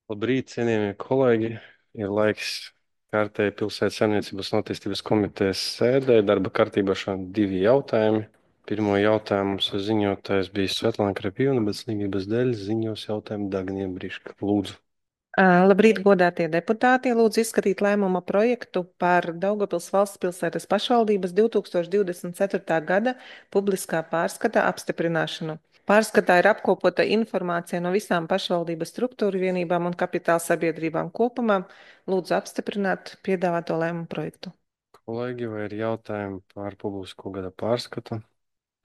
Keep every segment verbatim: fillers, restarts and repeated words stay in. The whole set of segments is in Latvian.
Labrīt, cienījamie kolēģi! Ir laiks kārtēji pilsētas saimniecības un attīstības komitejas sēdē. Darba kārtībā šodien divi jautājumi. Pirmo jautājumu mums ziņotājs bija Svetlana Krapīvna, bet slimības dēļ ziņos jautājumu Dagnija Briška. Lūdzu. Ā, Labrīt, godātie deputāti! Lūdzu izskatīt lēmuma projektu par Daugavpils valsts pilsētas pašvaldības divs tūkstoši divdesmit ceturtā gada publiskā pārskata apstiprināšanu. Pārskatā ir apkopota informācija no visām pašvaldības struktūru vienībām un kapitāla sabiedrībām kopumā. Lūdzu apstiprināt piedāvāto lēmumu projektu. Kolēģi, vai ir jautājumi par publisko gada pārskatu?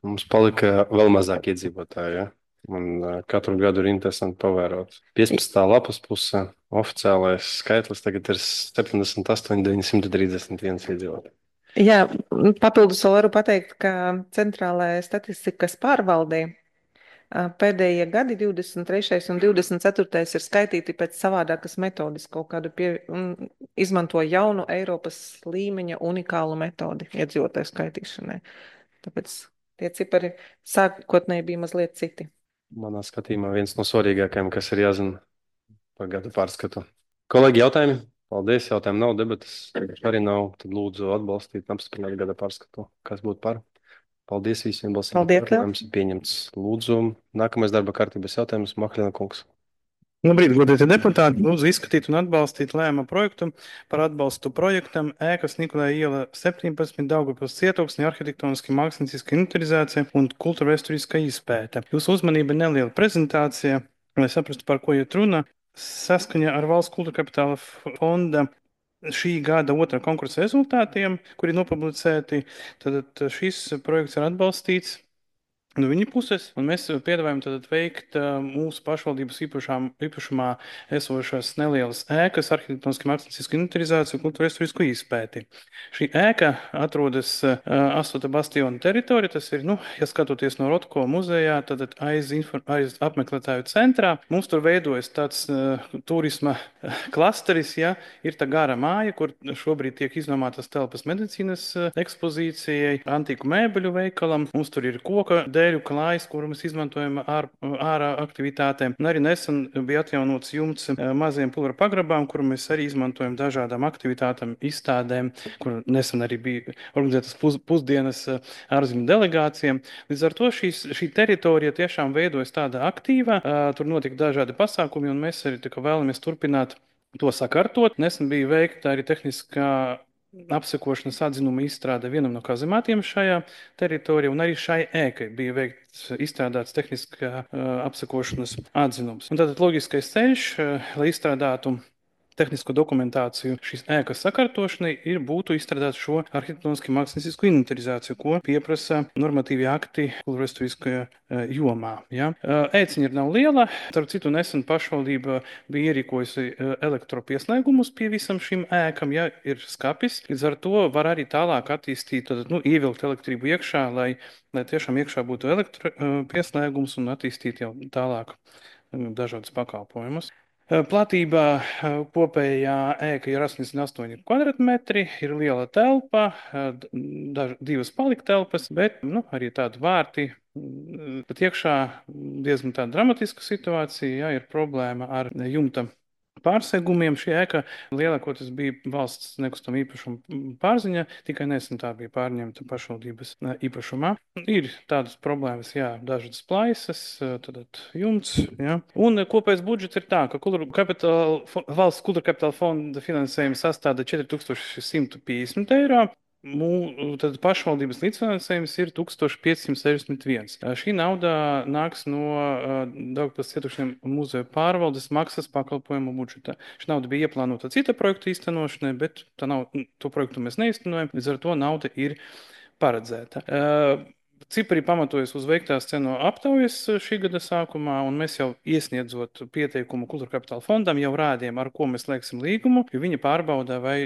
Mums palika vēl mazāk iedzīvotāju, ja? Un uh, katru gadu ir interesanti pavērot. piecpadsmitā lapas pusē oficiālais skaitlis tagad ir septiņdesmit astoņi, deviņsimt trīsdesmit viens iedzīvotāji. Jā, papildus vēl varu pateikt, ka centrālajai statistikas pārvaldei ā, pēdējie gadi, divdesmit trešais un divdesmit ceturtais ir skaitīti pēc savādākas metodes, kaut kādu pie, un izmanto jaunu Eiropas līmeņa unikālu metodi iedzīvotāju skaitīšanai. Tāpēc tie cipari sākotnēji bija mazliet citi. Manā skatījumā viens no svarīgākajiem, kas ir jāzina par gada pārskatu. Kolēģi, jautājumi? Paldies, jautājumu nav, debatas arī nav. Tad lūdzu atbalstīt un apstiprināt gada pārskatu. Kas būtu par? Paldies visiem balsīm. Paldies, Liel! Lēmums ir pieņemts. Lūdzu, nākamais darba kārtības jautājums Mahļina kungs. Labrīt, godātie deputāti! Lūdzu izskatīt un atbalstīt lēmuma projektu par atbalstu projektam ēkas Nikolai iela septiņpadsmit Daugavpils cietoksnī arhitektoniski mākslinieciska inventarizācija un kultūrvēsturiskā izpēte. Jūsu uzmanība neliela prezentācija, lai saprastu, par ko iet runa. Saskaņā ar Valsts kultūra kapitāla fonda šī gada otrā konkursa rezultātiem, kuri nopublicēti, tad šis projekts ir atbalstīts no viņa puses, un mēs piedāvājam tad veikt uh, mūsu pašvaldības īpašām, īpašumā esošās nelielas ēkas, arhitektoniski māksliniecisku inventarizāciju, kultūrvēsturisku izpēti. Šī ēka atrodas uh, Astota bastiona teritorijā, tas ir, nu, ja skatoties no Rotko muzejā, tad aiz, infor, aiz apmeklētāju centrā. Mums tur veidojas tāds uh, turisma klasteris, ja, ir tā gara māja, kur šobrīd tiek iznomātas telpas medicīnas uh, ekspozīcijai, antīku mēbeļu veikalam, mums tur ir koka dēļu klājas, kuru mēs izmantojam ār, ārā aktivitātēm. Un arī nesen bija atjaunots jumts maziem pulvera pagrabām, kuru mēs arī izmantojam dažādām aktivitātēm, izstādēm, kur nesen arī bija organizētas pus, pusdienas ārzemju delegācijām. Līdz ar to šīs, šī teritorija tiešām veidojas tāda aktīva, tur notika dažādi pasākumi, un mēs arī vēlamies turpināt to sakārtot. Nesen bija veikta arī tehniskā apsekošanas atzinuma izstrāde vienam no kazemātiem šajā teritorijā, un arī šai ēkai bija veikts izstrādāts tehniskā uh, apsekošanas atzinums. Un tātad loģiskais ceļš, uh, lai izstrādātu tehnisko dokumentāciju šīs ēkas sakārtošanai, ir būtu izstrādāt šo arhitektoniski māksliniecisku inventarizāciju, ko pieprasa normatīvi akti kultūrvēsturiskajā uh, jomā. Ja? Uh, ēciņa ir nav liela, starp citu nesen pašvaldība bija ierīkojusi uh, elektropieslēgumus pie visam šīm ēkam, ja ir skapis, līdz ar to var arī tālāk attīstīt, tad, nu, ievilkt elektrību iekšā, lai, lai tiešām iekšā būtu elektropieslēgums un attīstīt jau tālāk uh, dažādas pakalpojumus. Platībā kopējā ēka ir astoņdesmit astoņi kvadrātmetri, ir liela telpa, daž, divas paliktelpas, bet nu, arī tādi vārti. Pat iekšā diezgan tāda dramatiska situācija, ja ir problēma ar jumta pārsegumiem. Šī ēka lielākoties bija valsts nekustama īpašuma pārziņa, tikai nesen tā bija pārņemta pašvaldības īpašumā. Ir tādas problēmas, jā, dažādas plaisas, tad jumts, jā. Un kopējais budžets ir tā, ka kultūra kapitāla, valsts kultūra kapitāla fonda finansējums sastāda četri tūkstoši simt piecdesmit eiro. Mū, tad pašvaldības līdzfinansējums ir tūkstoš piecsimt sešdesmit viens. Šī nauda nāks no uh, Daugavpils cietoksņa muzeja pārvaldes maksas pakalpojumu budžeta. Šī nauda bija ieplānota cita projekta īstenošanai, bet tā nav, to projektu mēs neīstenojam, līdz ar to nauda ir paredzēta. Uh, Cipari pamatojas uz veiktās cenu aptaujas šī gada sākumā, un mēs jau iesniedzot pieteikumu kultūra kapitāla fondam jau rādījām, ar ko mēs slēgsim līgumu, jo viņi pārbaudā, vai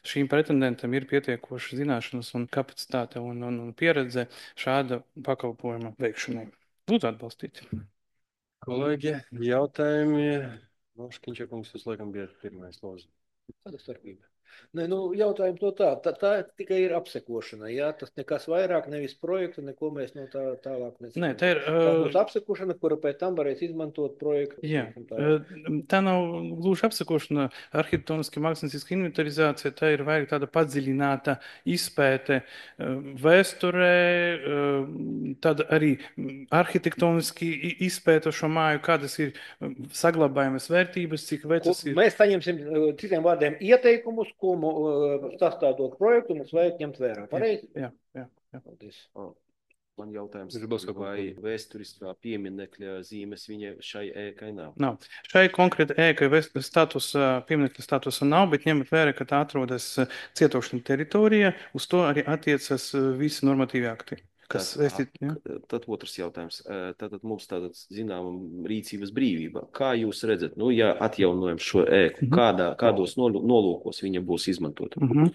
šīm pretendentam ir pietiekoši zināšanas un kapacitāte un, un, un pieredze šāda pakalpojuma veikšanai. Lūdzu atbalstīt. Kolēģi, jautājumi? No Škiņčakungs, jūs laikam bijat pirmais lūdzu. Kāda starpība? Nē, nu, jautājums no tā, tā, tā tikai ir apsekošana, jā, tas nekas vairāk, nevis projekta, neko mēs no tā tālāk Nē, nezinām. tā ir. Tā Uh, būs apsekošana, kura pēc tam varēs izmantot projektu. Jā, Tā. uh, tā nav gluži apsekošana, arhitektoniska mākslinieca inventarizācija, tā ir vairāk tāda padziļināta izpēte uh, vēsturē, uh, tad arī mm, arhitektoniski i- izpēta šo māju, kādas ir um, saglabājamas vērtības, cik Ko, vecas ir. mēs saņemsim, eh, citiem vārdiem, ieteikumus, ko mu, eh, sastādot projektu, mums vajag ņemt vērā. Pareizi? Jā, jā, jā. Paldies. Ah, Man jautājums, Ir būs kaut vai ko- vēsturiskā pieminekļa zīmes viņa šai ēkai nav? Nav. Šai konkrēti ēkai vēst- statusa, pieminiekta statusa nav, bet ņemot vērā, ka tā atrodas uh, cietoksņa teritorijā, uz to arī attiecas uh, visi normatīvi akti. Kas Tad, saistīti, jā? ak- tad otrs jautājums. Eh, Tātad mums tāda zināma rīcības brīvība. Kā jūs redzat, nu, ja atjaunojam šo ēku, Mhm. kādā, kādos nolu- nolūkos viņa būs izmantota? Mhm.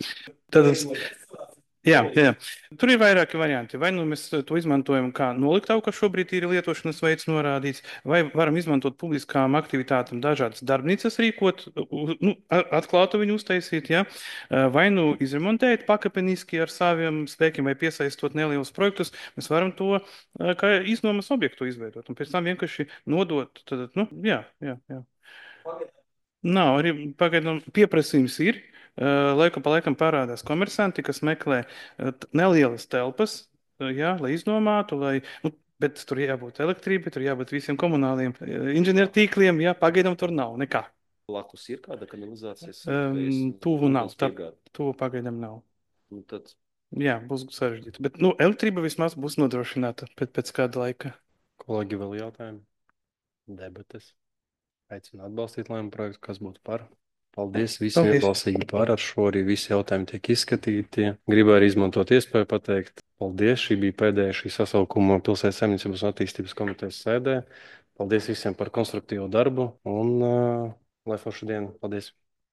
Tad, jā, jā. Tur ir vairāki varianti. Vai nu mēs to izmantojam kā noliktavu, kas šobrīd ir lietošanas veids norādīts, vai varam izmantot publiskām aktivitātēm dažādas darbnīcas rīkot, u- nu, a- atklātu viņu uztaisīt, ja? Vai nu izremontēt pakāpeniski ar saviem spēkiem vai piesaistot nelielus projektus, mēs varam to eh, kā iznomas objektu izveidot un pēc tam vienkārši nodot. Tad, nu, jā, jā, jā. Nav arī pagaidām pieprasījums ir. Uh, Laiku pa laikam parādās komersanti, kas meklē uh, t- nelielas telpas, uh, jā, lai iznomātu, lai, nu, bet tur jābūt elektrībai, tur jābūt visiem komunāliem uh, inženiertīkliem, jā, pagaidām tur nav nekā. Blakus ir kāda kanalizācijas Um, tuvu nav, tā, piegāde. tuvu pagaidām nav. Nu, tad Jā, būs sarežģīti, bet, nu, elektrība vismaz būs nodrošināta pēc, pēc kāda laika. Kolēģi, vēl jautājumi? Debates. Aicinu atbalstīt lēmumu projektu, kas būtu par. Paldies visiem, Paldies. balsīgi par. Ar šo arī visi jautājumi tiek izskatīti. Gribēju arī izmantot iespēju pateikt paldies. Šī bija pēdējā šī sasaukuma Pilsētas saimniecības un attīstības komitejas sēdē. Paldies visiem par konstruktīvu darbu un uh, lai forša diena. Paldies!